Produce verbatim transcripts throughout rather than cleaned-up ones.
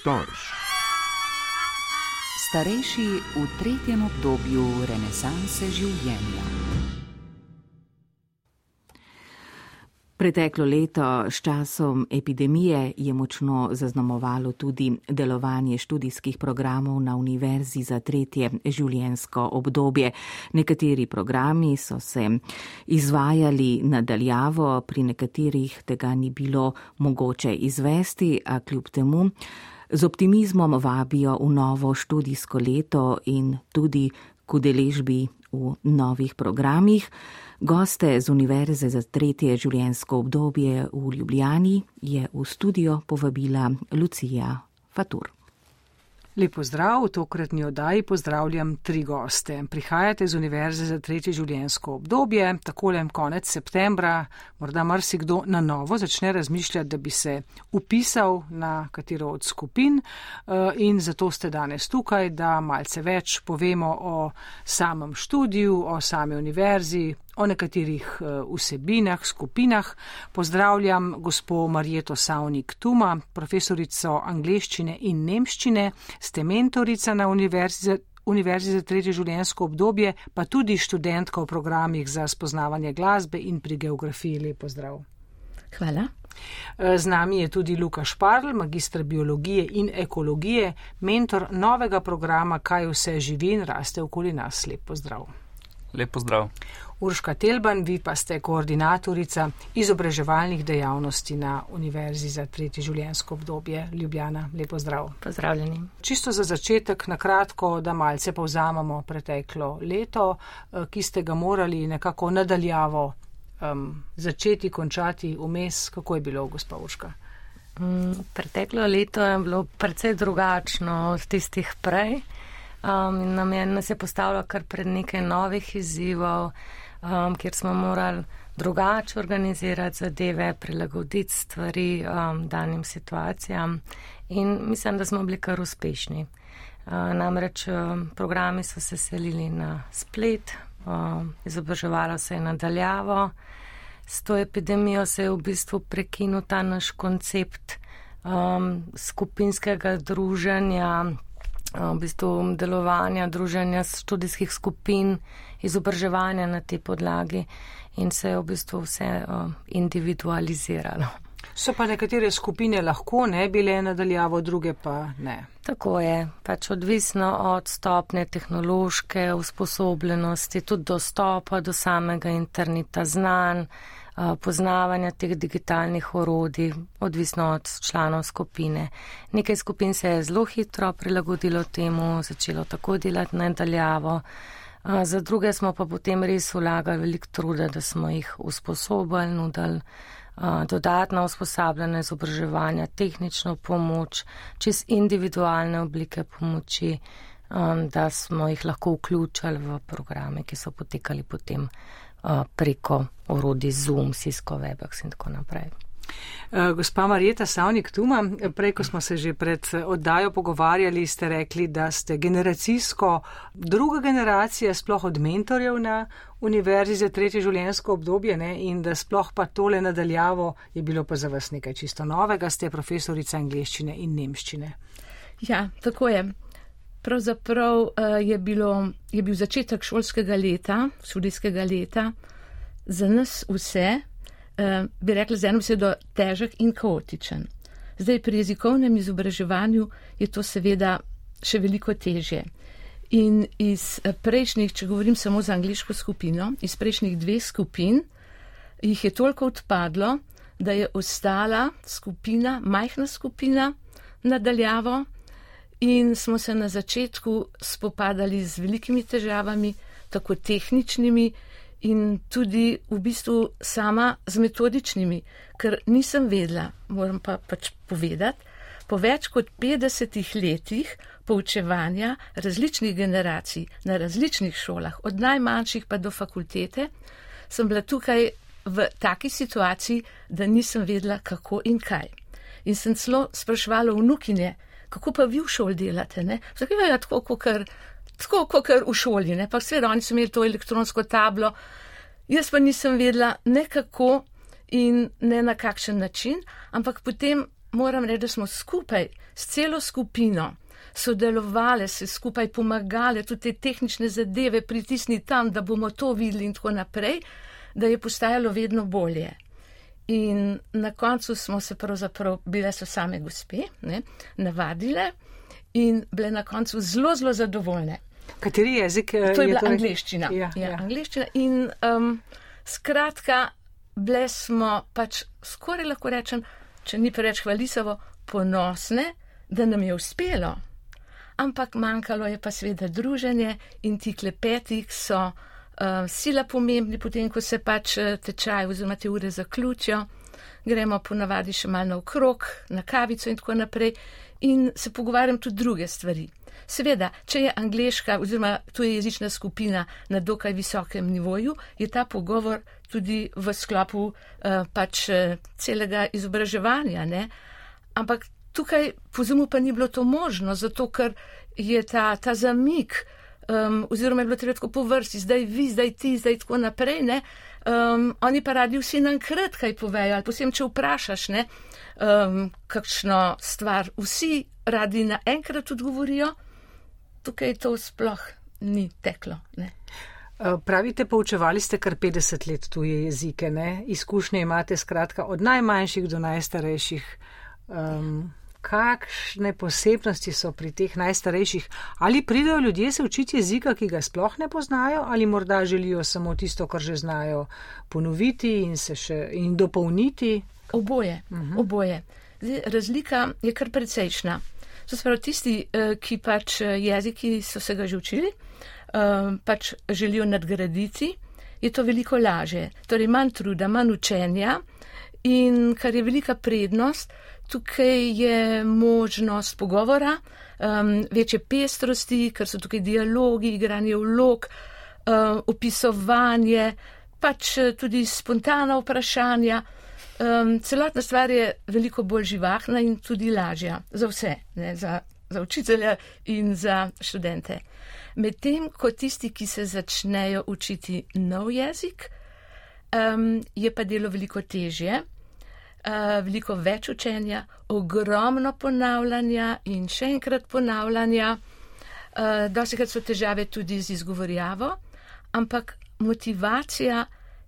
Storž. Starejši v tretjem obdobju renesanse življenja. Preteklo leto s časom epidemije je močno zaznamovalo tudi delovanje študijskih programov na Univerzi za tretje življenjsko obdobje. Nekateri programi so se izvajali nadaljavo, pri nekaterih tega ni bilo mogoče izvesti, a kljub temu z optimizmom vabijo v novo študijsko leto in tudi k udeležbi v novih programih. Goste z Univerze za tretje življenjsko obdobje v Ljubljani je v studio povabila Lucija Fatur. Lep pozdrav, v tokratni oddaji pozdravljam tri goste. Prihajate z Univerze za tretje življenjsko obdobje, takole konec septembra, morda marsikdo na novo začne razmišljati, da bi se upisal na katero od skupin in zato ste danes tukaj, da malce več povemo o samem študiju, o sami univerzi, o nekaterih vsebinah, skupinah. Pozdravljam gospo Marjeto Savnik-Tuma, profesorico angleščine in nemščine, ste mentorica na Univerzi, Univerzi za tretje življenjsko obdobje, pa tudi študentka v programih za spoznavanje glasbe in pri geografiji. Lep pozdrav. Hvala. Z nami je tudi Luka Šparl, magister biologije in ekologije, mentor novega programa Kaj vse živi in raste okoli nas. Lep pozdrav. Lep pozdrav. Urška Telban, vi pa ste koordinatorica izobraževalnih dejavnosti na Univerzi za tretje življenjsko obdobje Ljubljana. Lep pozdrav. Pozdravljeni. Čisto za začetek, na kratko, da malce povzamemo preteklo leto, ki ste ga morali nekako nadaljavo um, začeti, končati vmes. Kako je bilo, gospa Urška? Mm, preteklo leto je bilo precej drugačno od tistih prej. Um, nam je, nas je postavilo kar pred nekaj novih izzivov, um, kjer smo morali drugače organizirati zadeve, prilagoditi stvari um, danim situacijam in mislim, da smo bili kar uspešni. Uh, namreč um, programi so se selili na splet, um, izobraževalo se je nadaljavo, s to epidemijo se je v bistvu prekinil ta naš koncept um, skupinskega druženja, v bistvu delovanja, druženja študijskih skupin, izobraževanja na tej podlagi in se je v bistvu vse uh, individualiziralo. So pa nekatere skupine lahko ne bile nadaljavo, druge pa ne. Tako je, pač odvisno od stopne tehnološke usposobljenosti, tudi dostopa do samega interneta znanj, poznavanja teh digitalnih orodij, odvisno od članov skupine. Nekaj skupin se je zelo hitro prilagodilo temu, začelo tako delati nadaljavo. Za druge smo pa potem res vlagali veliko truda, da smo jih usposobili, nudili dodatna usposabljanja, izobraževanja, tehnično pomoč, čez individualne oblike pomoči, da smo jih lahko vključili v programe, ki so potekali potem preko orodij Zoom, Cisco, Webex in tako naprej. Gospa Marjeta Savnik-Tuma, prej, ko smo se že pred oddajo pogovarjali, ste rekli, da ste generacijsko druga generacija sploh od mentorjev na Univerzi za tretje življenjsko obdobje, ne? In da sploh pa tole nadaljavo je bilo pa za vas nekaj čisto novega, ste profesorica angleščine in nemščine. Ja, tako je. Pravzaprav uh, je, bilo, je bil začetek šolskega leta, študijskega leta, za nas vse, uh, bi rekla z eno besedo, težek in kaotičen. Zdaj pri jezikovnem izobraževanju je to seveda še veliko težje. In iz prejšnjih, če govorim samo za angliško skupino, iz prejšnjih dveh skupin jih je toliko odpadlo, da je ostala skupina, majhna skupina nadaljavo, in smo se na začetku spopadali z velikimi težavami, tako tehničnimi in tudi v bistvu sama z metodičnimi, ker nisem vedela, moram pa pač povedati, po več kot petdesetih letih poučevanja različnih generacij na različnih šolah, od najmanjših pa do fakultete, sem bila tukaj v taki situaciji, da nisem vedela, kako in kaj. In sem celo spraševala vnukinje, kako pa vi v šoli delate, ne? Zakaj je tako, kakor, tako, kakor v šoli, ne? Pa seveda oni so imeli to elektronsko tablo, jaz pa nisem vedela ne kako in ne na kakšen način, ampak potem moram reči, da smo skupaj s celo skupino sodelovali, se skupaj pomagali, tudi te tehnične zadeve pritisni tam, da bomo to videli in tako naprej, da je postajalo vedno bolje. In na koncu smo se pravzaprav, bile so same gospe, ne, navadile in bile na koncu zelo, zelo zadovoljne. Kateri jezik? To je, je bila torej... angleščina. Ja, ja, ja. angleščina. In um, skratka, bile smo pač skoraj lahko rečem, če ni preveč hvalisavo, ponosne, da nam je uspelo. Ampak manjkalo je pa seveda druženje in ti klepeti so uh, sila pomembni, potem ko se pač tečaj oziroma te ure zaključijo, gremo ponavadi še malo naokrog, na kavico in tako naprej in se pogovarjam tudi druge stvari. Seveda, če je angleška oziroma tujejezična skupina na dokaj visokem nivoju, je ta pogovor tudi v sklopu uh, pač uh, celega izobraževanja, ne? Ampak tukaj po Zoomu pa ni bilo to možno, zato ker je ta, ta zamik, um, oziroma je bilo treba tako po vrsti, zdaj vi, zdaj ti, zdaj tako naprej, ne, um, oni pa radi vsi nankrat kaj povejo, ali posebej, če vprašaš, ne, um, kakšno stvar, vsi radi naenkrat odgovorijo, tukaj to sploh ni teklo, ne. Pravite, poučevali ste kar petdeset let tuje jezike, ne, izkušnje imate skratka od najmanjših do najstarejših. Um, kakšne posebnosti so pri teh najstarejših? Ali pridejo ljudje se učiti jezika, ki ga sploh ne poznajo, ali morda želijo samo tisto, kar že znajo ponoviti in se še in dopolniti? Oboje, uh-huh. oboje. Zdaj, razlika je kar precejšna. To so prav tisti, ki pač jeziki so se ga že učili, pač želijo nadgraditi, je to veliko lažje. Torej manj truda, manj učenja in kar je velika prednost, tukaj je možnost pogovora, um, večje pestrosti, ker so tukaj dialogi, igranje vlog, um, opisovanje, pač tudi spontana vprašanja. Um, celotna stvar je veliko bolj živahna in tudi lažja za vse, ne, za, za učitelja in za študente. Medtem, ko tisti, ki se začnejo učiti nov jezik, um, je pa delo veliko težje. Uh, veliko več učenja, ogromno ponavljanja in še enkrat ponavljanja. Uh, dostikrat so težave tudi z izgovorjavo, ampak motivacija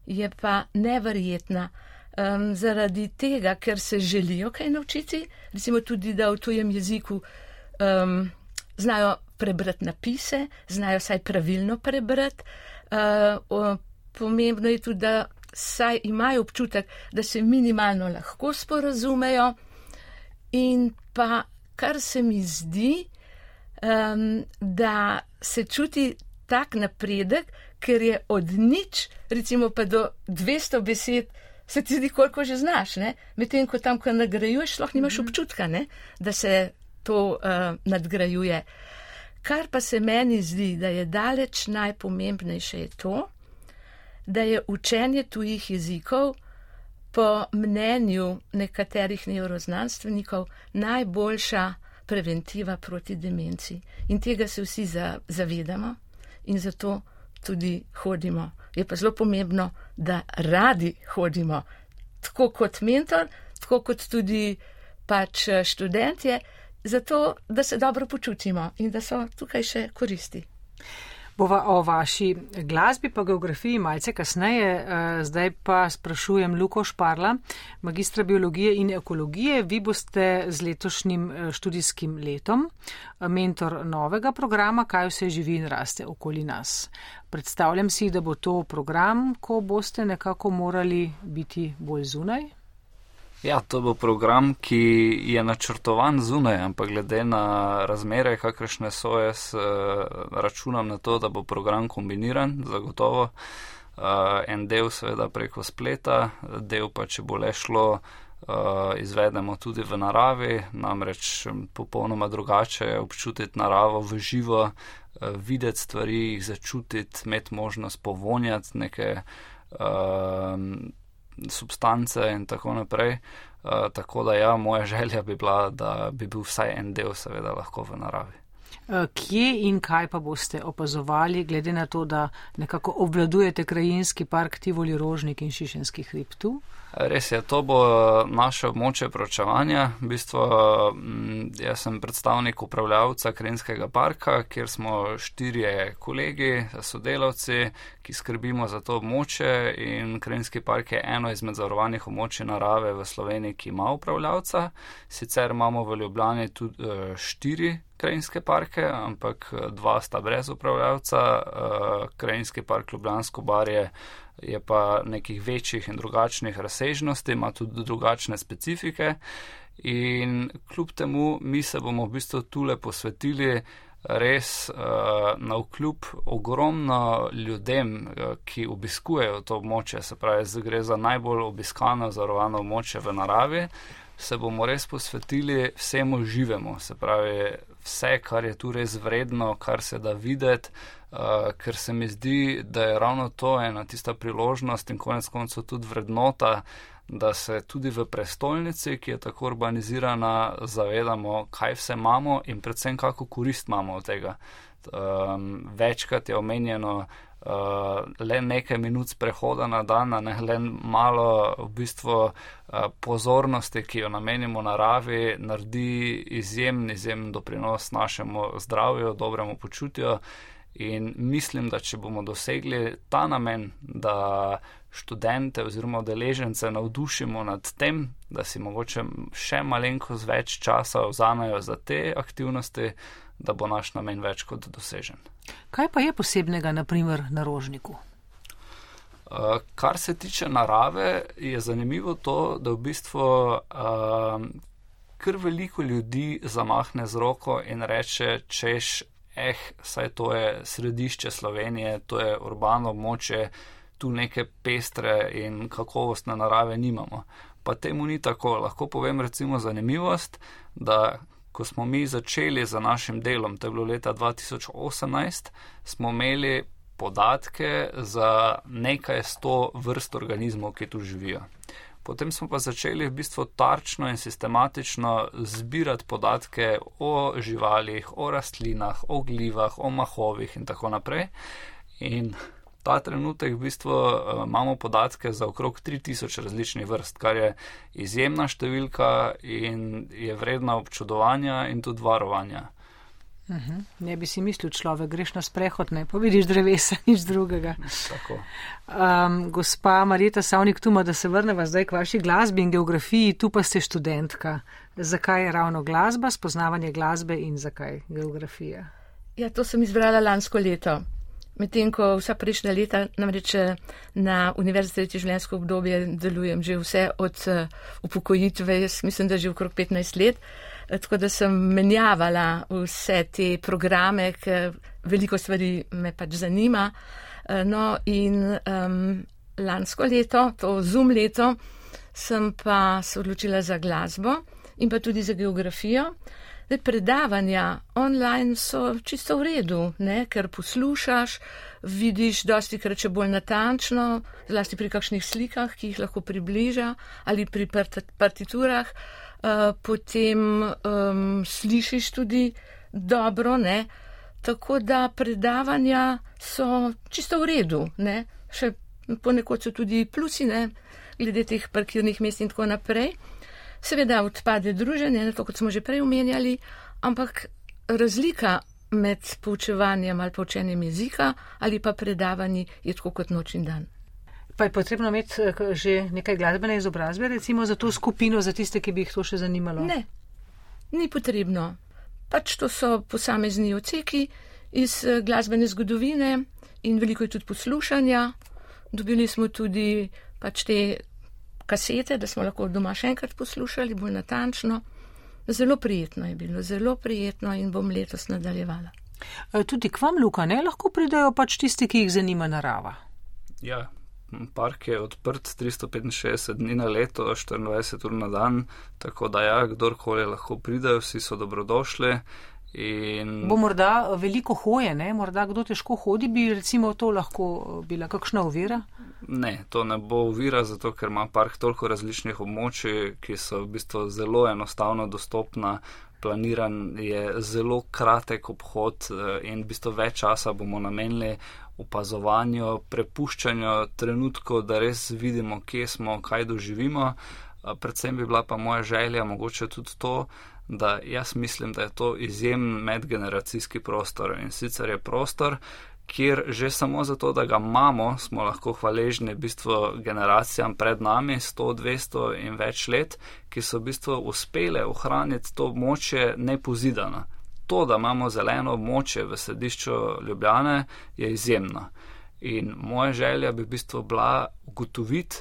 je pa neverjetna. Um, zaradi tega, ker se želijo kaj naučiti, recimo tudi, da v tujem jeziku um, znajo prebrati napise, znajo saj pravilno prebrati. Uh, o, pomembno je tudi, da saj imajo občutek, da se minimalno lahko sporazumejo in pa, kar se mi zdi, um, da se čuti tak napredek, ker je od nič, recimo pa do dvesto besed, se ti zdi, koliko že znaš, ne? Medtem, ko tam, ko nagrajuješ, lahko nimaš občutka, ne? Da se to uh, nadgrajuje. Kar pa se meni zdi, da je daleč najpomembnejše je to, da je učenje tujih jezikov po mnenju nekaterih nevroznanstvenikov najboljša preventiva proti demenci. In tega se vsi zavedamo in zato tudi hodimo. Je pa zelo pomembno, da radi hodimo, tako kot mentor, tako kot tudi pač študentje, zato da se dobro počutimo in da so tukaj še koristi. Bova o vaši glasbi pa geografiji malce kasneje, zdaj pa sprašujem Luko Šparla, magistra biologije in ekologije. Vi boste z letošnjim študijskim letom mentor novega programa Kaj vse živi in raste okoli nas. Predstavljam si, da bo to program, ko boste nekako morali biti bolj zunaj. Ja, to bo program, ki je načrtovan zunaj, ampak glede na razmere, kakršne so, jaz računam na to, da bo program kombiniran, zagotovo. En del seveda preko spleta, del pa, če bo le šlo, izvedemo tudi v naravi, namreč popolnoma drugače je občutiti naravo v živo, videti stvari, jih začutiti, imeti možnost povonjati neke substance in tako naprej. Uh, tako da ja, moja želja bi bila, da bi bil vsaj en del seveda lahko v naravi. Kje in kaj pa boste opazovali, glede na to, da nekako obvladujete krajinski park Tivoli Rožnik in Šišenski hrib tu? Res je, to bo naše območje proučevanja. V bistvu jaz sem predstavnik upravljavca krajinskega parka, kjer smo štirje kolegi, sodelavci, ki skrbimo za to območje, in krajinski park je eno izmed zavarovanih območij narave v Sloveniji, ki ima upravljavca. Sicer imamo v Ljubljani tudi štiri krajinske parke, ampak dva sta brez upravljavca. Krajinski park Ljubljansko barje je pa nekih večjih in drugačnih razsežnosti, ima tudi drugačne specifike, in kljub temu mi se bomo v bistvu tule posvetili res na vkljub ogromno ljudem, ki obiskujejo to območje, se pravi, gre za najbolj obiskano zavarovano območje v naravi, se bomo res posvetili vsemu živemu, se pravi, vse, kar je tu res vredno, kar se da videti, uh, ker se mi zdi, da je ravno to ena tista priložnost in konec koncev tudi vrednota, da se tudi v prestolnici, ki je tako urbanizirana, zavedamo, kaj vse imamo in predvsem kako korist imamo od tega. Um, večkrat je omenjeno uh, le nekaj minut prehoda na dan, ne, le malo v bistvu uh, pozornosti, ki jo namenimo naravi, naredi izjemen, izjemen doprinos našemu zdravju, dobremu počutju, in mislim, da če bomo dosegli ta namen, da študente oziroma udeležence navdušimo nad tem, da si mogoče še malenkost več časa vzamejo za te aktivnosti, da bo naš namen več kot dosežen. Kaj pa je posebnega, na primer, na Rožniku? Uh, kar se tiče narave, je zanimivo to, da v bistvu uh, kar veliko ljudi zamahne z roko in reče, češ, eh, saj to je središče Slovenije, to je urbano območje, tu neke pestre in kakovostne narave nimamo. Pa temu ni tako. Lahko povem recimo zanimivost, da ko smo mi začeli z našim delom, to je bilo leta dva tisoč osemnajst, smo imeli podatke za nekaj sto vrst organizmov, ki tu živijo. Potem smo pa začeli v bistvu tarčno in sistematično zbirati podatke o živalih, o rastlinah, o glivah, o mahovih in tako naprej. In ta trenutek v bistvu uh, imamo podatke za okrog tri tisoč različnih vrst, kar je izjemna številka in je vredna občudovanja in tudi varovanja. Uh-huh. Ne bi si mislil, človek, greš na sprehod, ne pa vidiš drevesa, nič drugega. Tako. Um, gospa Marjeta Savnik-Tuma, da se vrneva zdaj k vaši glasbi in geografiji, tu pa ste študentka. Zakaj je ravno glasba, spoznavanje glasbe in zakaj geografija? Ja, to sem izbrala lansko leto. Medtem, ko vsa prejšnja leta, namreč na Univerzi za tretje življenjsko obdobje delujem že vse od upokojitve, jaz mislim, da že okrog petnajst let, tako da sem menjavala vse te programe, ker veliko stvari me pač zanima. No in um, lansko leto, to Zoom leto, sem pa se odločila za glasbo in pa tudi za geografijo. Zdaj, predavanja online so čisto v redu, ne? Ker poslušaš, vidiš dosti krat še bolj natančno, zlasti pri kakšnih slikah, ki jih lahko približa, ali pri partiturah, uh, potem um, slišiš tudi dobro, ne? Tako da predavanja so čisto v redu, ne? Še ponekod so tudi plusi, ne? Glede teh parkirnih mest in tako naprej. Seveda odpade druženje, to kot smo že prej omenjali, ampak razlika med poučevanjem ali poučenjem jezika ali pa predavanji je tako kot noč in dan. Pa je potrebno imeti že nekaj glasbene izobrazbe, recimo za to skupino, za tiste, ki bi jih to še zanimalo? Ne, ni potrebno. Pač to so posamezni odseki iz glasbene zgodovine in veliko je tudi poslušanja. Dobili smo tudi pač te kasete, da smo lahko doma še enkrat poslušali, bolj natančno. Zelo prijetno je bilo, zelo prijetno in bom letos nadaljevala. Tudi k vam, Luka, ne? Lahko pridajo pač tisti, ki jih zanima narava? Ja, park je odprt tristo petinšestdeset dni na leto, štiriindvajset ur na dan, tako da ja, kdorkoli lahko pridajo, vsi so dobrodošli In... Bo morda veliko hoje, ne? Morda kdo težko hodi, bi recimo to lahko bila kakšna ovira? Ne, to ne bo ovira, zato ker ima park toliko različnih območij, ki so v bistvu zelo enostavno dostopna. Planiran je zelo kratek obhod in v bistvu več časa bomo namenili opazovanju, prepuščanju trenutkov, da res vidimo, kje smo, kaj doživimo. Predvsem bi bila pa moja želja mogoče tudi to, da jaz mislim, da je to izjemen medgeneracijski prostor in sicer je prostor, kjer že samo zato, da ga imamo, smo lahko hvaležni v bistvu generacijam pred nami, sto, dvesto in več let, ki so v bistvu uspele ohraniti to območje nepozidano. To, da imamo zeleno območje v središču Ljubljane, je izjemno. In moja želja bi v bistvu bila ugotoviti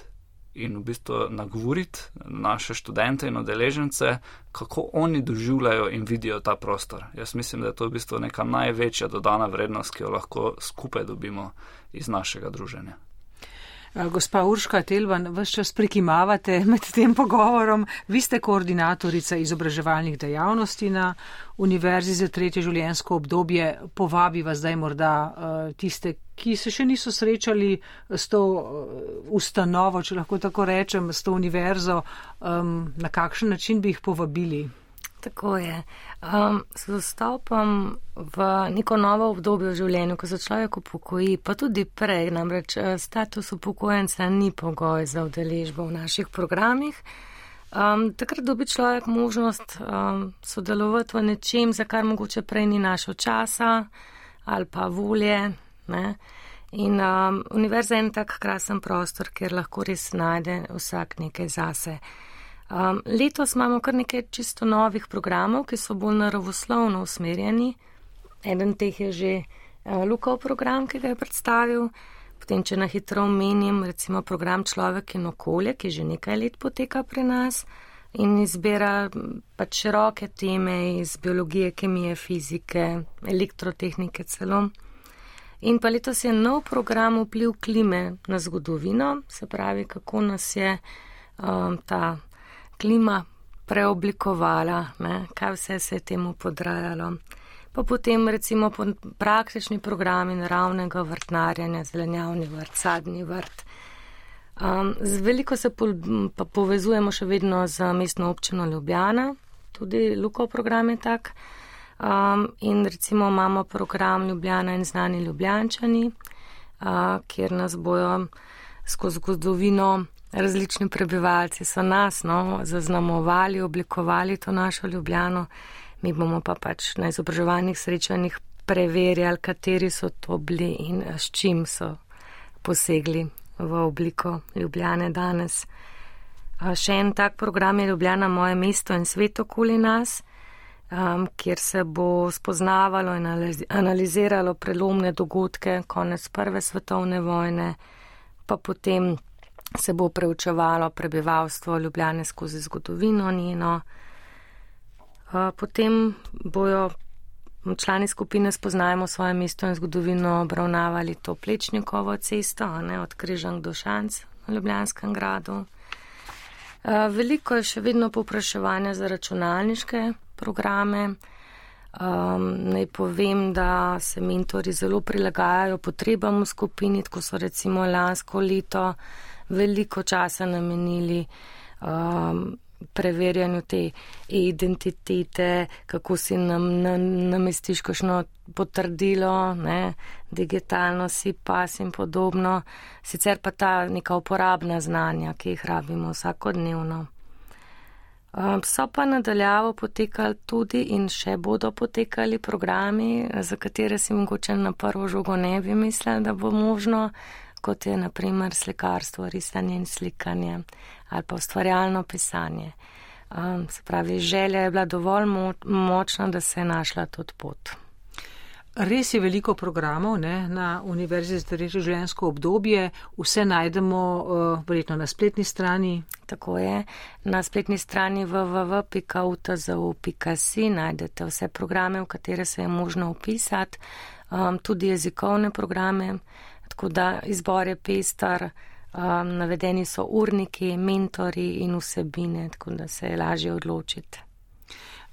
in v bistvu nagovoriti naše študente in udeležence, kako oni doživljajo in vidijo ta prostor. Jaz mislim, da je to v bistvu neka največja dodana vrednost, ki jo lahko skupaj dobimo iz našega druženja. Gospa Urška Telban, ves čas prikimavate med tem pogovorom. Vi ste koordinatorica izobraževalnih dejavnosti na Univerzi za tretje življenjsko obdobje. Povabi vas zdaj morda tiste, ki se še niso srečali s to ustanovo, če lahko tako rečem, s to univerzo. Na kakšen način bi jih povabili? Tako je. Um, s vstopom v neko novo obdobje v življenju, ko se človek upokoji, pa tudi prej, namreč status upokojenca ni pogoj za udeležbo v naših programih, um, takrat dobi človek možnost um, sodelovati v nečem, za kar mogoče prej ni našel časa ali pa volje. Ne? In um, univerza je en tak krasen prostor, kjer lahko res najde vsak nekaj zase. Um, letos imamo kar nekaj čisto novih programov, ki so bolj naravoslovno usmerjeni. Eden teh je že uh, Lukov program, ki ga je predstavil. Potem, če na hitro omenim, recimo program Človek in okolje, ki že nekaj let poteka pri nas in izbira pač široke teme iz biologije, kemije, fizike, elektrotehnike celo. In pa letos je nov program Vpliv klime na zgodovino, se pravi, kako nas je um, ta klima preoblikovala, ne, kaj vse se je temu podrajalo. Pa potem recimo praktični programi naravnega vrtnarjanja, zelenjavni vrt, sadni vrt. Um, z veliko se po, pa povezujemo še vedno z mestno občino Ljubljana, tudi Lukov program je tak. Um, in recimo imamo program Ljubljana in znani Ljubljančani, uh, kjer nas bojo skozi zgodovino različni prebivalci so nas no, zaznamovali, oblikovali to našo Ljubljano. Mi bomo pa pač na izobraževalnih srečanjih preverjali, kateri so to bili in s čim so posegli v obliko Ljubljane danes. Še en tak program je Ljubljana, moje mesto in svet okoli nas, um, kjer se bo spoznavalo in analiziralo prelomne dogodke, konec prve svetovne vojne, pa potem se bo preučevalo prebivalstvo Ljubljane skozi zgodovino njeno. Potem bojo člani skupine Spoznajmo svoje mesto in zgodovino obravnavali to Plečnikovo cesto, ne, od Križank do Šanc v Ljubljanskem gradu. Veliko je še vedno povpraševanja za računalniške programe. Um, naj povem, da se mentori zelo prilagajajo potrebam v skupini, tako so recimo lansko leto veliko časa namenili um, preverjanju te identitete, kako si nam namestiš kakšno potrdilo, ne, digitalno si pas in podobno. Sicer pa ta neka uporabna znanja, ki jih rabimo vsakodnevno. Um, so pa nadaljavo potekali tudi in še bodo potekali programi, za katere si mogoče na prvo žogo ne bi mislili, da bo možno, kot je naprimer slikarstvo, risanje in slikanje ali pa ustvarjalno pisanje. Um, se pravi, želja je bila dovolj mo- močna, da se je našla tudi pot. Res je veliko programov ne, na Univerzi za tretje življenjsko obdobje. Vse najdemo uh, verjetno na spletni strani. Tako je. Na spletni strani w w w pika u t z u pika s i najdete vse programe, v katere se je možno upisati, um, tudi jezikovne programe. Tako da izbor je pestar, um, navedeni so urniki, mentori in vsebine, tako da se je lažje odločiti.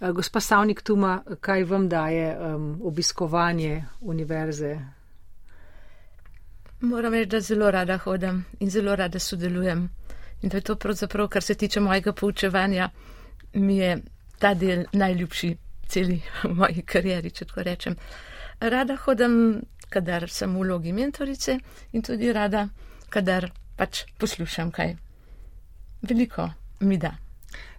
Gospa Savnik Tuma, kaj vam daje um, obiskovanje univerze? Moram reči, da zelo rada hodam in zelo rada sodelujem. In to je to pravzaprav, kar se tiče mojega poučevanja, mi je ta del najljubši celi v moji karieri, če tako rečem. Rada hodam, kadar sem v vlogi mentorice in tudi rada, kadar pač poslušam kaj. Veliko mi da.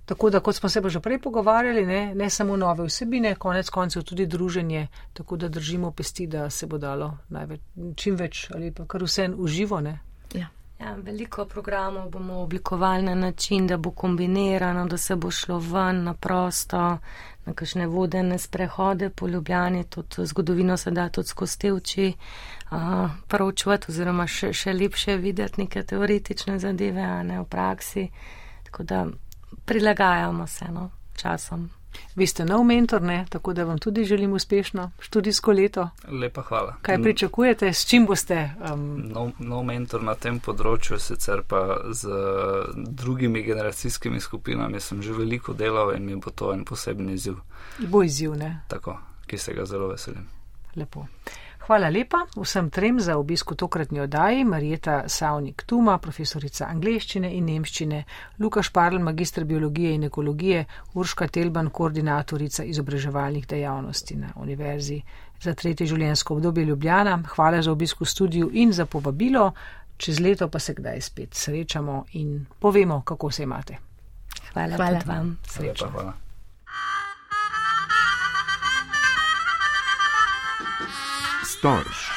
Tako da, kot smo se pa že prej pogovarjali, ne, ne samo nove vsebine, konec koncev tudi druženje, tako da držimo pesti, da se bo dalo največ, čim več ali pa kar vse uživo, ne? Ja. Ja, veliko programov bomo oblikovali na način, da bo kombinirano, da se bo šlo ven na prosto, na kakšne vodene sprehode po Ljubljani, tudi zgodovino se da tudi skozi te oči uh, proučevati oziroma še, še lepše videti neke teoretične zadeve, a ne v praksi. Tako da prilagajamo se no, časom. Vi ste nov mentor, ne? Tako da vam tudi želim uspešno študijsko leto. Lepa hvala. Kaj pričakujete, s čim boste? Um... Nov, nov mentor na tem področju, sicer pa z drugimi generacijskimi skupinami sem že veliko delal in mi bo to en poseben izziv. Bo izziv, ne? Tako, ki se ga zelo veselim. Lepo. Hvala lepa vsem trem za obisk v tokratni oddaji. Marjeta Savnik Tuma, profesorica angleščine in nemščine, Luka Šparl, magister biologije in ekologije, Urška Telban, koordinatorica izobraževalnih dejavnosti na Univerzi za tretje življenjsko obdobje Ljubljana. Hvala za obisk v studiu in za povabilo. Čez leto pa se kdaj spet srečamo in povemo, kako se imate. Hvala, hvala vam. Srečno. Hvala. Storž.